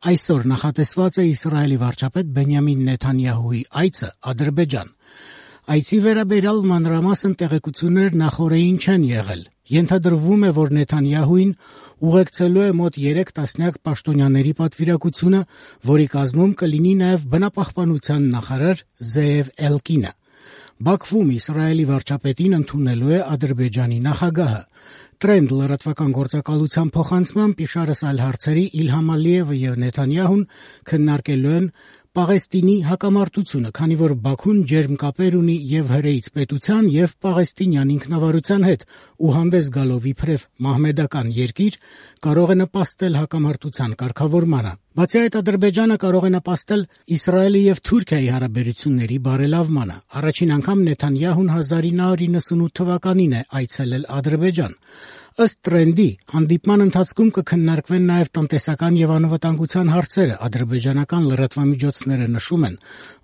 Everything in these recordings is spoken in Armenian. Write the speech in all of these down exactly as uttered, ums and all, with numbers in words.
Այսօր նախատեսված է Իսրայելի վարչապետ Բենյամին Նեթանյահուի այցը Ադրբեջան։ Այցի վերաբերյալ մանրամասն տեղեկություններ նախօրեին չեն եղել։ Ենթադրվում է, որ Նեթանյահուին ուղեկցելու է մոտ երեք տասնյակ պաշտոնյաների պատվիրակությունը, որի կազմում կլինի նաև բնապահպանության նախարար Զեև Էլկինը։ Բաքվում Իսրայելի վարչապետին ընդունելու է Ադրբեջանի նախագահը։ Տրենդ լրատվական գործակալության փոխանցմամբ իշարս այլ հարցերի Իլհամ Ալիևը եւ Նեթանյահուն քննարկելու են Պաղեստինի հակամարտությունը, քանի որ Բաքուն ջերմ կապեր ունի եւ հրեից պետության եւ պաղեստինյան ինքնավարության հետ ու հանդես գալով իբրև մահմեդական երկիր կարող է նպաստել հակամարտության կարգավորմանը։ Բացի այդ, Ադրբեջանը կարող է նպաստել Իսրայելի եւ Թուրքիայի հարաբերությունների բարելավմանը։ Առաջին անգամ Նեթանյահուն հազար ինը հարյուր նվաթ թվականին է այցելել Ադրբեջան։ Ըստ Տրենդի, հանդիպման ընթացքում կքննարկվեն նաև տնտեսական եւ անվտանգության հարցերը։ Ադրբեջանական լրատվամիջոցները նշում են,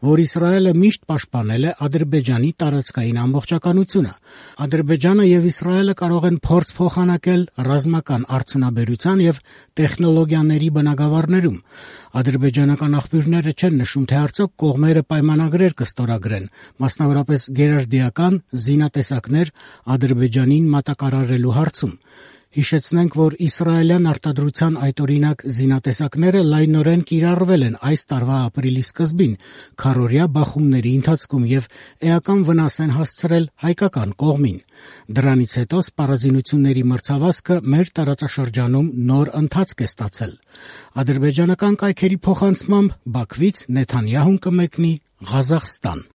որ Իսրայելը միշտ պաշտպանել է Ադրբեջանի տարածքային ամբողջականությունը։ Ադրբեջանը եւ Իսրայելը կարող են փորձ փոխանակել ռազմական արդյունաբերության եւ տեխնոլոգիաների բնագավառներում։ Ադրբեջանական աղբյուրները չեն նշում, թե արդյոք կողմերը պայմանագրեր կստորագրեն, մասնավորապես գերարդիական զինատեսակներ Ադրբեջանին մատակարարելու հարցում։ Հիշեցնենք, որ իսրայելյան արտադրության այդօրինակ զինատեսակները լայնորեն կիրառվել են այս տարվա ապրիլի սկզբին քառօրյա բախումների ընթացքում եւ էական վնաս են հասցրել հայկական կողմին։ Դրանից հետո սպառազինությունների մրցավազքը մեր տարածաշրջանում նոր ընթացք է ստացել։ Ադրբեջանական կայքերի փոխանցմամբ Բաքվից Նեթանյահուն կմեկնի Ղազախստան։